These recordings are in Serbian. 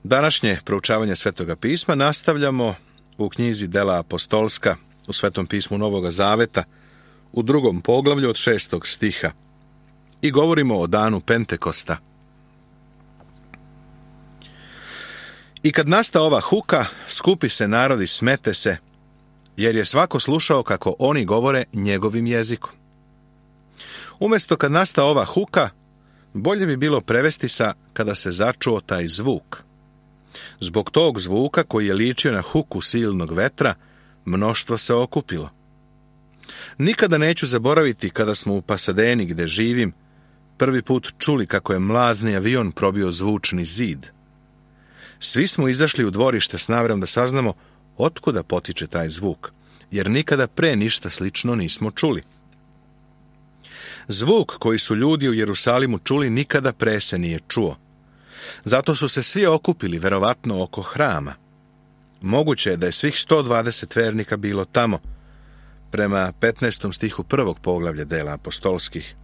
Današnje proučavanje Svetoga pisma nastavljamo u knjizi Dela apostolska u Svetom pismu Novoga Zaveta u 2. poglavlju od 6. stiha i govorimo o danu Pentekosta. I kad nasta ova huka, skupi se narod i smete se, jer je svako slušao kako oni govore njegovim jezikom. Umjesto kad nasta ova huka, bolje bi bilo prevesti sa kada se začuo taj zvuk. Zbog tog zvuka koji je ličio na huku silnog vetra, mnoštvo se okupilo. Nikada neću zaboraviti kada smo u Pasadeni, gde živim, prvi put čuli kako je mlazni avion probio zvučni zid. Svi smo izašli u dvorište s namerom da saznamo otkuda potiče taj zvuk, jer nikada pre ništa slično nismo čuli. Zvuk koji su ljudi u Jerusalimu čuli nikada pre se nije čuo. Zato su se svi okupili, verovatno oko hrama. Moguće je da je svih 120 vernika bilo tamo, prema 15. stihu 1. poglavlja Dela apostolskih.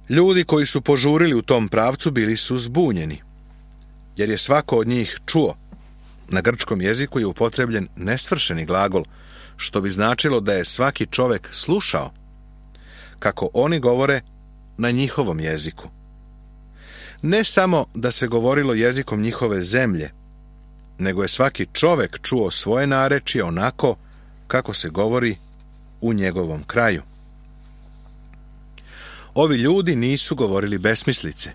Ljudi koji su požurili u tom pravcu bili su zbunjeni, jer je svako od njih čuo. Na grčkom jeziku je upotrebljen nesvršeni glagol, što bi značilo da je svaki čovek slušao kako oni govore na njihovom jeziku. Ne samo da se govorilo jezikom njihove zemlje, nego je svaki čovek čuo svoje narečje onako kako se govori u njegovom kraju. Ovi ljudi nisu govorili besmislice,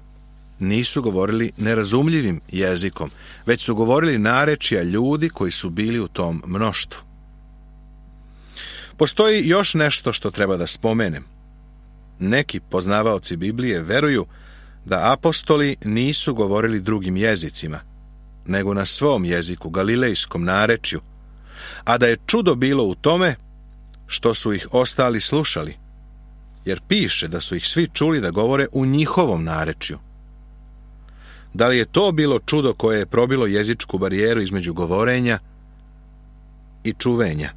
nisu govorili nerazumljivim jezikom, već su govorili narečja ljudi koji su bili u tom mnoštvu. Postoji još nešto što treba da spomenem. Neki poznavaoci Biblije veruju da apostoli nisu govorili drugim jezicima, nego na svom jeziku, galilejskom narečju, a da je čudo bilo u tome što su ih ostali slušali, jer piše da su ih svi čuli da govore u njihovom narečju. Da li je to bilo čudo koje je probilo jezičku barijeru između govorenja i čuvenja?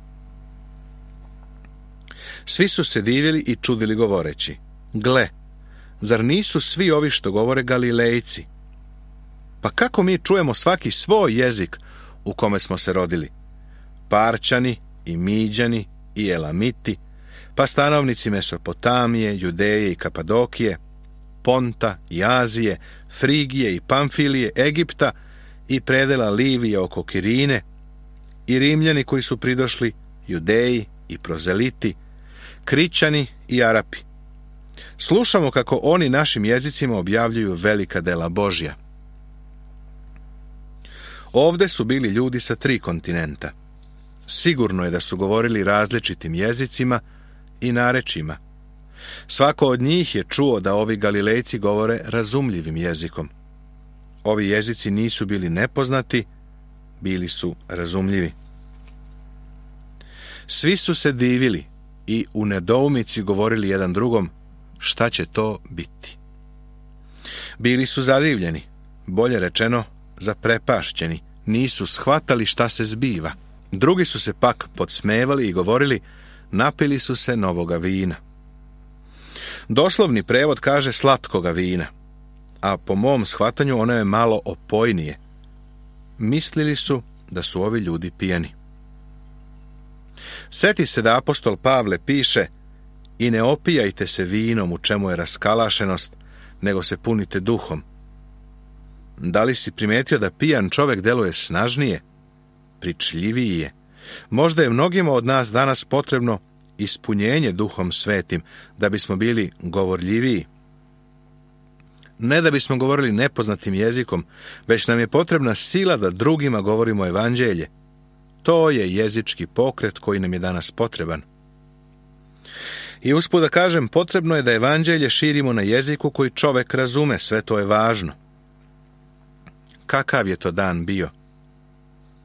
Svi su se divili i čudili govoreći: gle, zar nisu svi ovi što govore Galilejci? Pa kako mi čujemo svaki svoj jezik u kome smo se rodili? Parčani i Miđani i Elamiti, pa stanovnici Mesopotamije, Judeje i Kapadokije, Ponta i Azije, Frigije i Pamfilije, Egipta i predela Livije oko Kirine, i Rimljani koji su pridošli, Judeji i Prozeliti, Krićani i Arapi. Slušamo kako oni našim jezicima objavljuju velika dela Božja. Ovde su bili ljudi sa 3 kontinenta. Sigurno je da su govorili različitim jezicima i narečjima. Svako od njih je čuo da ovi Galilejci govore razumljivim jezikom. Ovi jezici nisu bili nepoznati, bili su razumljivi. Svi su se divili i u nedoumici govorili jedan drugom šta će to biti. Bili su zadivljeni, bolje rečeno zaprepašćeni, nisu shvatali šta se zbiva. Drugi su se pak podsmevali i govorili napili su se novoga vina. Doslovni prevod kaže slatkoga vina, a po mom shvatanju ono je malo opojnije. Mislili su da su ovi ljudi pijani. Seti se da apostol Pavle piše: i ne opijajte se vinom u čemu je raskalašenost, nego se punite duhom. Da li si primetio da pijan čovek deluje snažnije, pričljiviji je? Možda je mnogima od nas danas potrebno ispunjenje Duhom Svetim da bismo bili govorljiviji. Ne da bismo govorili nepoznatim jezikom, već nam je potrebna sila da drugima govorimo evanđelje. To je jezički pokret koji nam je danas potreban. I usput da kažem, potrebno je da evanđelje širimo na jeziku koji čovek razume, sve to je važno. Kakav je to dan bio?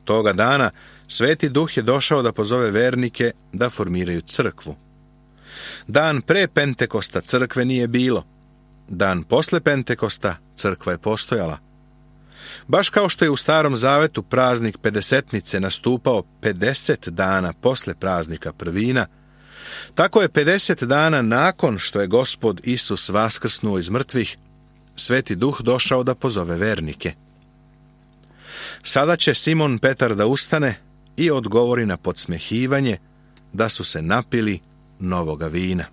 Toga dana Sveti Duh je došao da pozove vernike da formiraju crkvu. Dan pre Pentekosta crkve nije bilo. Dan posle Pentekosta crkva je postojala. Baš kao što je u Starom Zavetu praznik Pedesetnice nastupao 50 dana posle praznika Prvina, tako je 50 dana nakon što je Gospod Isus vaskrsnuo iz mrtvih, Sveti Duh došao da pozove vernike. Sada će Simon Petar da ustane i odgovori na podsmehivanje da su se napili novoga vina.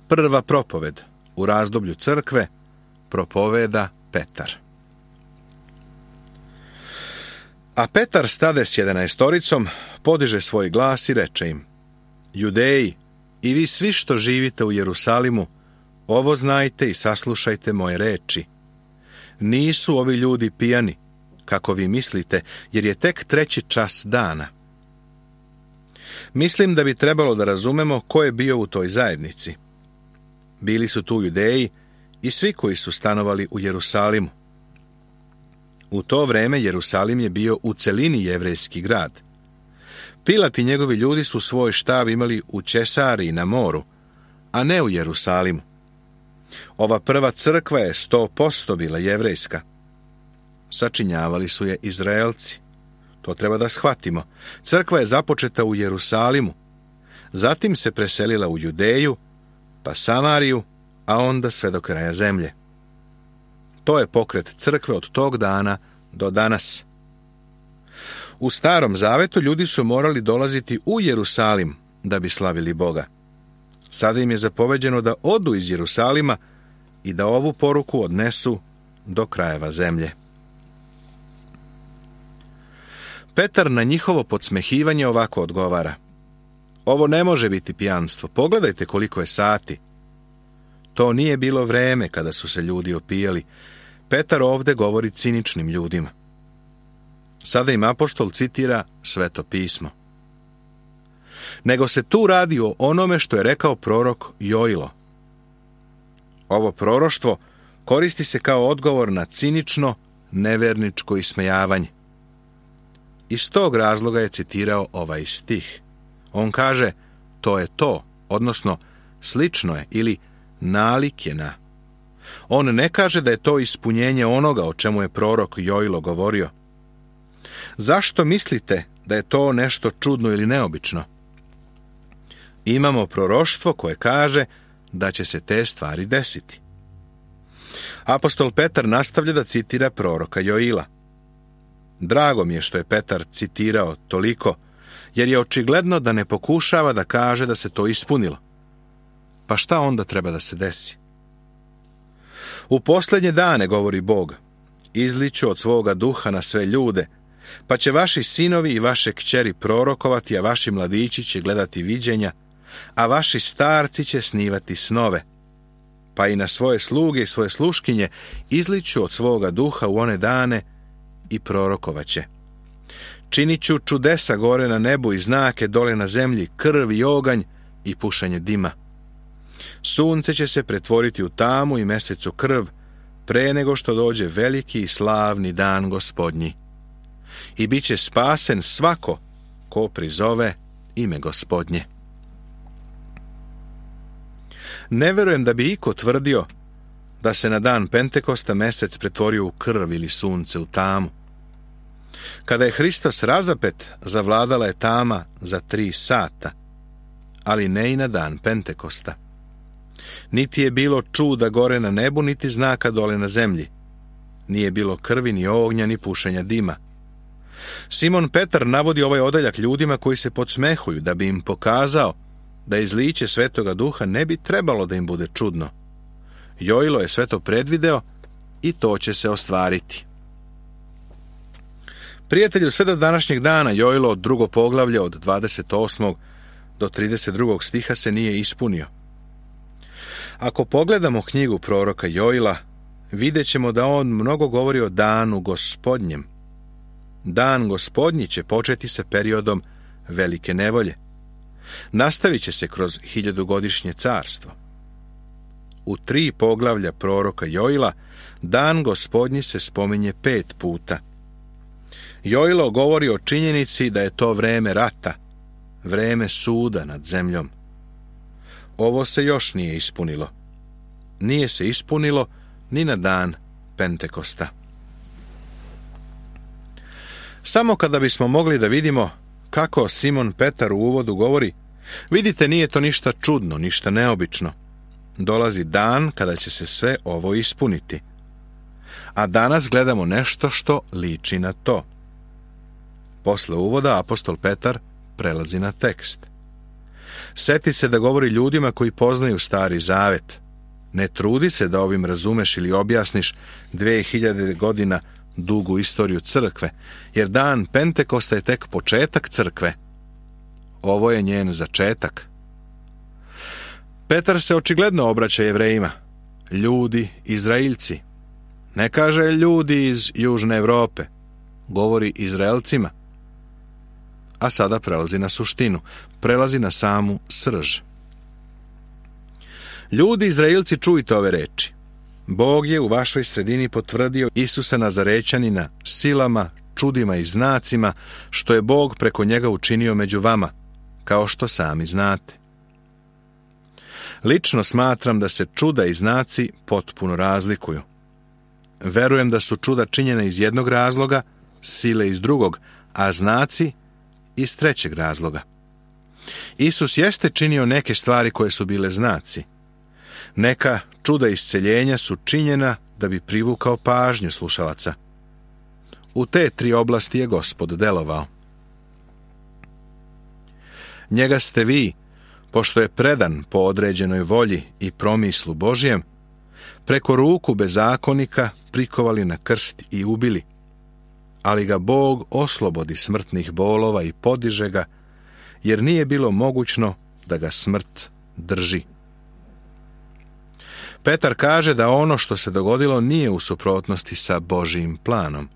Prva propoved u razdoblju crkve propoveda Petar. A Petar stade s 11, podiže svoj glas i reče im: Judeji, i vi svi što živite u Jerusalimu, ovo znajte i saslušajte moje reči. Nisu ovi ljudi pijani, kako vi mislite, jer je tek 3. čas dana. Mislim da bi trebalo da razumemo ko je bio u toj zajednici. Bili su tu Judeji i svi koji su stanovali u Jerusalimu. U to vreme Jerusalim je bio u celini jevrejski grad. Pilat i njegovi ljudi su svoj štab imali u Česariji na moru, a ne u Jerusalimu. Ova prva crkva je 100% bila jevrejska. Sačinjavali su je Izraelci. To treba da shvatimo. Crkva je započeta u Jerusalimu, zatim se preselila u Judeju, pa Samariju, a onda sve do kraja zemlje. To je pokret crkve od tog dana do danas. U Starom Zavetu ljudi su morali dolaziti u Jerusalim da bi slavili Boga. Sada im je zapoveđeno da odu iz Jerusalima i da ovu poruku odnesu do krajeva zemlje. Petar na njihovo podsmehivanje ovako odgovara: Ovo ne može biti pijanstvo, pogledajte koliko je sati. To nije bilo vreme kada su se ljudi opijali. Petar ovde govori ciničnim ljudima. Sada im apostol citira Sveto pismo. Nego se tu radi o onome što je rekao prorok Joilo. Ovo proroštvo koristi se kao odgovor na cinično, neverničko ismejavanje. Iz tog razloga je citirao ovaj stih. On kaže, to je to, odnosno slično je ili nalik je na. On ne kaže da je to ispunjenje onoga o čemu je prorok Joilo govorio. Zašto mislite da je to nešto čudno ili neobično? Imamo proroštvo koje kaže da će se te stvari desiti. Apostol Petar nastavlja da citira proroka Joila. Drago mi je što je Petar citirao toliko, jer je očigledno da ne pokušava da kaže da se to ispunilo. Pa šta onda treba da se desi? U posljednje dane, govori Bog, izliću od svoga duha na sve ljude, pa će vaši sinovi i vaše kćeri prorokovati, a vaši mladići će gledati viđenja, a vaši starci će snivati snove. Pa i na svoje sluge i svoje sluškinje izliću od svoga duha u one dane i prorokovaće. Činit ću čudesa gore na nebu i znake dole na zemlji, krv i oganj i pušanje dima. Sunce će se pretvoriti u tamu i mesec u krv, pre nego što dođe veliki i slavni dan Gospodnji. I bit će spasen svako ko prizove ime Gospodnje. Ne verujem da bi iko tvrdio da se na dan Pentekosta mesec pretvorio u krv ili sunce u tamu. Kada je Hristos razapet, zavladala je tama za 3 sata, ali ne i na dan Pentekosta. Niti je bilo čuda gore na nebu, niti znaka dole na zemlji. Nije bilo krvi, ni ognja, ni pušenja dima. Simon Petar navodi ovaj odeljak ljudima koji se podsmehuju, da bi im pokazao da izliće Svetoga Duha ne bi trebalo da im bude čudno. Joilo je sve to predvideo i to će se ostvariti. Prijatelju, sve do današnjeg dana Joilo 2. poglavlje od 28. do 32. stiha se nije ispunio. Ako pogledamo knjigu proroka Joila, vidjet ćemo da on mnogo govori o danu Gospodnjem. Dan Gospodnji će početi sa periodom velike nevolje. Nastavit će se kroz 1000-godišnje carstvo. U 3 poglavlja proroka Joila dan Gospodnji se spominje 5 puta. Joilo govori o činjenici da je to vreme rata, vreme suda nad zemljom. Ovo se još nije ispunilo. Nije se ispunilo ni na dan Pentekosta. Samo kada bismo mogli da vidimo kako Simon Petar u uvodu govori, vidite, nije to ništa čudno, ništa neobično. Dolazi dan kada će se sve ovo ispuniti. A danas gledamo nešto što liči na to. Posle uvoda apostol Petar prelazi na tekst. Seti se da govori ljudima koji poznaju Stari Zavet. Ne trudi se da ovim razumeš ili objasniš 2000 godina dugu istoriju crkve, jer dan Pentekosta je tek početak crkve. Ovo je njen začetak. Petar se očigledno obraća Jevrejima. Ljudi, Izraeljci. Ne kaže ljudi iz Južne Europe. Govori Izraelcima. A sada prelazi na suštinu. Prelazi na samu srž. Ljudi, Izraelci, čujte ove reči. Bog je u vašoj sredini potvrdio Isusa Nazarećanina silama, čudima i znacima, što je Bog preko njega učinio među vama, kao što sami znate. Lično smatram da se čuda i znaci potpuno razlikuju. Verujem da su čuda činjene iz jednog razloga, sile iz drugog, a znaci iz trećeg razloga. Isus jeste činio neke stvari koje su bile znaci. Neka čuda isceljenja su činjena da bi privukao pažnju slušalaca. U te 3 oblasti je Gospod delovao. Njega ste vi, pošto je predan po određenoj volji i promislu Božjem, preko ruku bezakonika prikovali na krst i ubili, ali ga Bog oslobodi smrtnih bolova i podiže ga, jer nije bilo mogućno da ga smrt drži. Petar kaže da ono što se dogodilo nije u suprotnosti sa Božjim planom.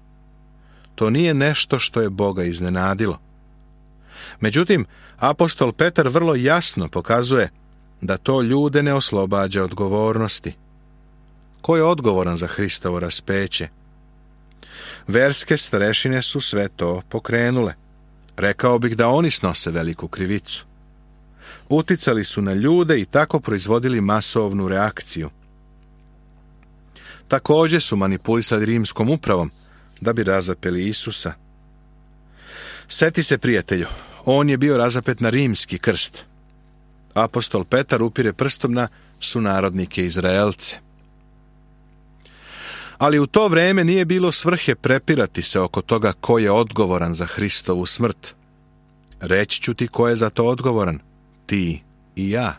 To nije nešto što je Boga iznenadilo. Međutim, apostol Petar vrlo jasno pokazuje da to ljude ne oslobađa odgovornosti. Ko je odgovoran za Hristovo raspeće? Verske starešine su sve to pokrenule. Rekao bih da oni snose veliku krivicu. Uticali su na ljude i tako proizvodili masovnu reakciju. Također su manipulisali rimskom upravom da bi razapeli Isusa. Seti se, prijatelju, on je bio razapet na rimski krst. Apostol Petar upire prstom na sunarodnike Izraelce. Ali u to vrijeme nije bilo svrhe prepirati se oko toga ko je odgovoran za Hristovu smrt. Reći ću ti ko je za to odgovoran. Ti i ja.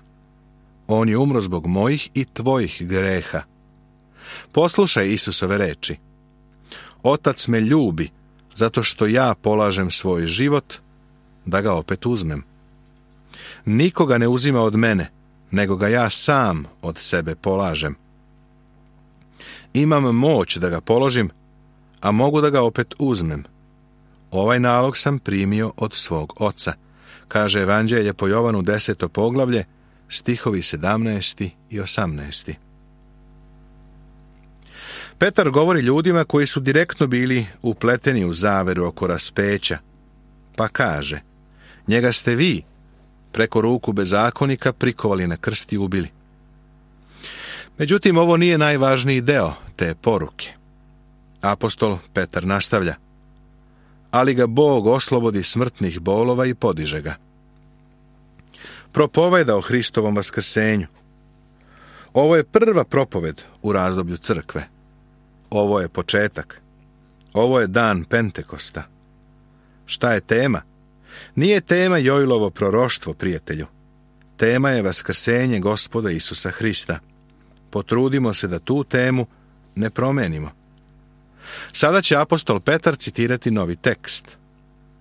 On je umro zbog mojih i tvojih greha. Poslušaj Isusove reči. Otac me ljubi, zato što ja polažem svoj život, da ga opet uzmem. Nikoga ne uzima od mene, nego ga ja sam od sebe polažem. Imam moć da ga položim, a mogu da ga opet uzmem. Ovaj nalog sam primio od svog oca, kaže Evanđelje po Jovanu 10. poglavlje, stihovi 17. i 18. Petar govori ljudima koji su direktno bili upleteni u zaveru oko raspeća, pa kaže: njega ste vi, preko ruku bezakonika, prikovali na krst i ubili. Međutim, ovo nije najvažniji deo te poruke. Apostol Petar nastavlja: ali ga Bog oslobodi smrtnih bolova i podiže ga. Propoveda o Hristovom vaskrsenju. Ovo je prva propoved u razdoblju crkve. Ovo je početak. Ovo je dan Pentekosta. Šta je tema? Nije tema Joilovo proroštvo, prijatelju. Tema je vaskrsenje Gospoda Isusa Hrista. Potrudimo se da tu temu ne promenimo. Sada će apostol Petar citirati novi tekst.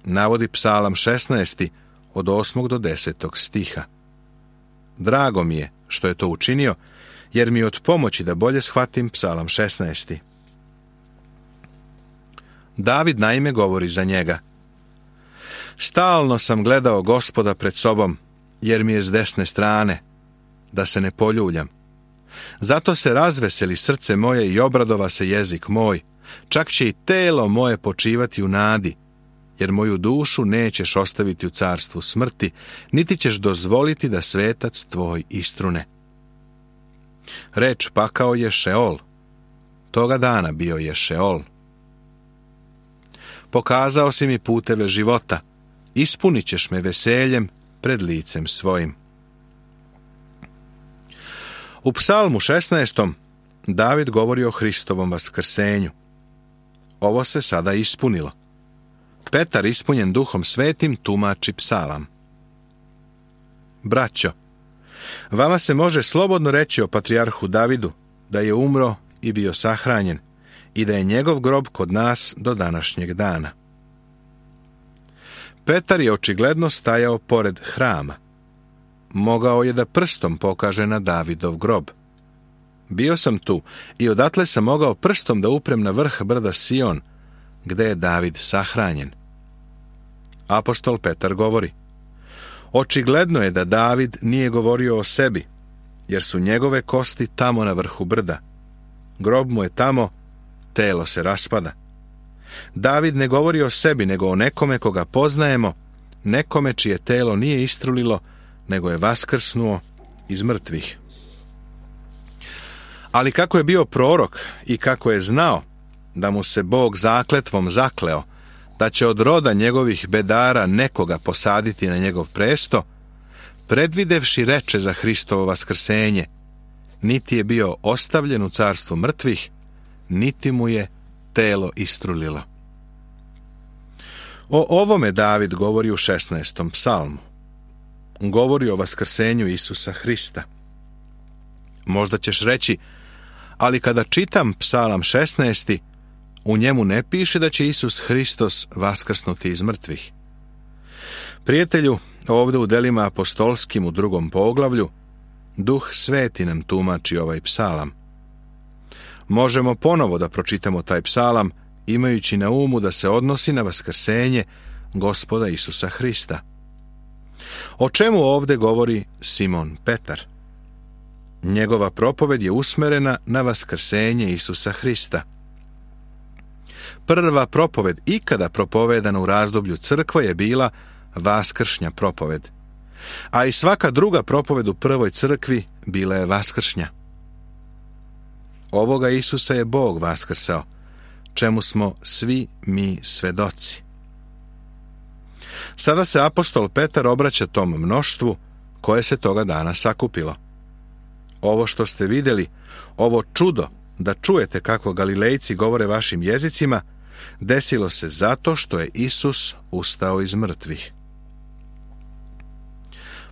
Navodi Psalam 16. od 8. do 10. stiha. Drago mi je što je to učinio, jer mi je od pomoći da bolje shvatim Psalam 16. David naime govori za njega: stalno sam gledao Gospoda pred sobom, jer mi je s desne strane, da se ne poljuljam. Zato se razveseli srce moje i obradova se jezik moj, čak će i telo moje počivati u nadi, jer moju dušu nećeš ostaviti u carstvu smrti, niti ćeš dozvoliti da svetac tvoj istrune. Reč pakao je Šeol. Toga dana bio je Šeol. Pokazao si mi puteve života, ispunit ćeš me veseljem pred licem svojim. U psalmu 16. David govori o Hristovom vaskrsenju. Ovo se sada ispunilo. Petar, ispunjen Duhom Svetim, tumači psalam. Braćo, vama se može slobodno reći o patrijarhu Davidu da je umro i bio sahranjen i da je njegov grob kod nas do današnjeg dana. Petar je očigledno stajao pored hrama. Mogao je da prstom pokaže na Davidov grob. Bio sam tu i odatle sam mogao prstom da uprem na vrh brda Sion, gde je David sahranjen. Apostol Petar govori: očigledno je da David nije govorio o sebi, jer su njegove kosti tamo na vrhu brda. Grob mu je tamo, telo se raspada. David ne govori o sebi, nego o nekome koga poznajemo, nekome čije telo nije istrulilo, nego je vaskrsnuo iz mrtvih. Ali kako je bio prorok i kako je znao da mu se Bog zakletvom zakleo da će od roda njegovih bedara nekoga posaditi na njegov presto, predvidevši reče za Hristovo vaskrsenje, niti je bio ostavljen u carstvu mrtvih, niti mu je telo istrulilo. O ovome David govori u 16. psalmu. Govori o vaskrsenju Isusa Hrista. Možda ćeš reći, ali kada čitam psalam 16. u njemu ne piše da će Isus Hristos vaskrsnuti iz mrtvih. Prijatelju, ovdje u delima apostolskim u 2. poglavlju, Duh Sveti nam tumači ovaj psalam. Možemo ponovo da pročitamo taj psalam, imajući na umu da se odnosi na vaskrsenje Gospoda Isusa Hrista. O čemu ovdje govori Simon Petar? Njegova propoved je usmerena na vaskrsenje Isusa Hrista. Prva propoved ikada propovedana u razdoblju crkve je bila vaskršnja propoved, a i svaka druga propoved u prvoj crkvi bila je vaskršnja. Ovoga Isusa je Bog vaskrsao, čemu smo svi mi svedoci. Sada se apostol Petar obraća tom mnoštvu koje se toga dana sakupilo. Ovo što ste vidjeli, ovo čudo da čujete kako Galilejci govore vašim jezicima, desilo se zato što je Isus ustao iz mrtvih.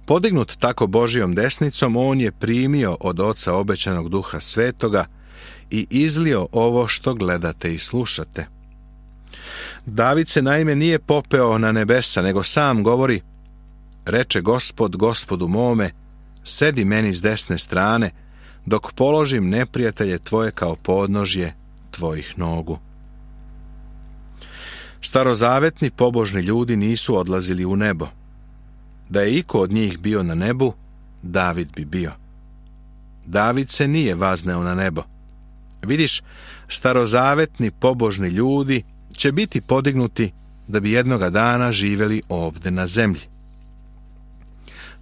Podignut tako Božijom desnicom, on je primio od Oca obećanog Duha Svetoga i izlio ovo što gledate i slušate. David se naime nije popeo na nebesa, nego sam govori: reče Gospod Gospodu mome, sedi meni s desne strane, dok položim neprijatelje tvoje kao podnožje tvojih nogu. Starozavetni pobožni ljudi nisu odlazili u nebo. Da je iko od njih bio na nebu, David bi bio. David se nije vazneo na nebo. Vidiš, starozavetni pobožni ljudi će biti podignuti da bi jednoga dana živjeli ovdje na zemlji.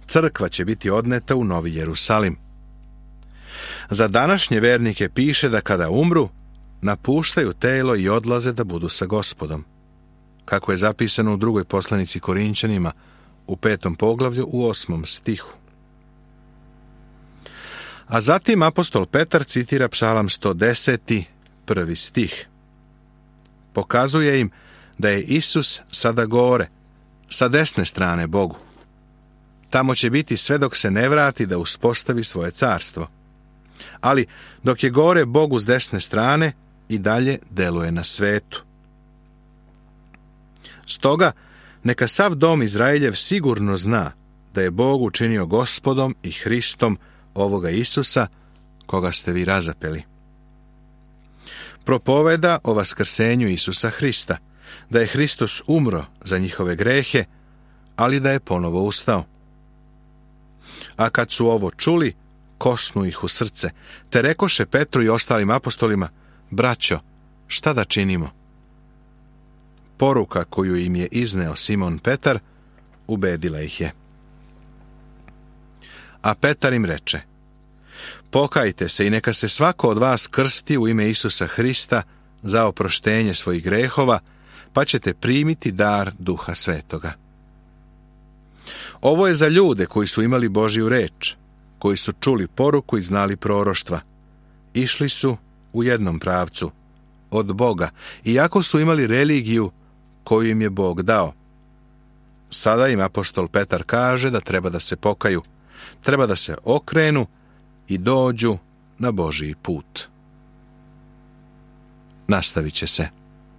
Crkva će biti odneta u Novi Jerusalim. Za današnje vernike piše da kada umru, napuštaju telo i odlaze da budu sa Gospodom, kako je zapisano u 2. poslanici Korinćanima u 5. poglavlju u 8. stihu. A zatim apostol Petar citira psalam 110. 1. stih. Pokazuje im da je Isus sada gore, sa desne strane Bogu. Tamo će biti sve dok se ne vrati da uspostavi svoje carstvo. Ali dok je gore Bogu s desne strane, i dalje deluje na svetu. Stoga, neka sav dom Izraeljev sigurno zna da je Bog učinio Gospodom i Hristom ovoga Isusa, koga ste vi razapeli. Propoveda o vaskrsenju Isusa Hrista, da je Hristos umro za njihove grehe, ali da je ponovo ustao. A kad su ovo čuli, kosnu ih u srce, te rekoše Petru i ostalim apostolima: braćo, šta da činimo? Poruka koju im je izneo Simon Petar ubedila ih je. A Petar im reče: pokajte se i neka se svako od vas krsti u ime Isusa Hrista za oproštenje svojih grehova, pa ćete primiti dar Duha Svetoga. Ovo je za ljude koji su imali Božju reč, koji su čuli poruku i znali proroštva. Išli su u jednom pravcu, od Boga, iako su imali religiju koju im je Bog dao. Sada im apostol Petar kaže da treba da se pokaju, treba da se okrenu i dođu na Božji put. Nastavit će se.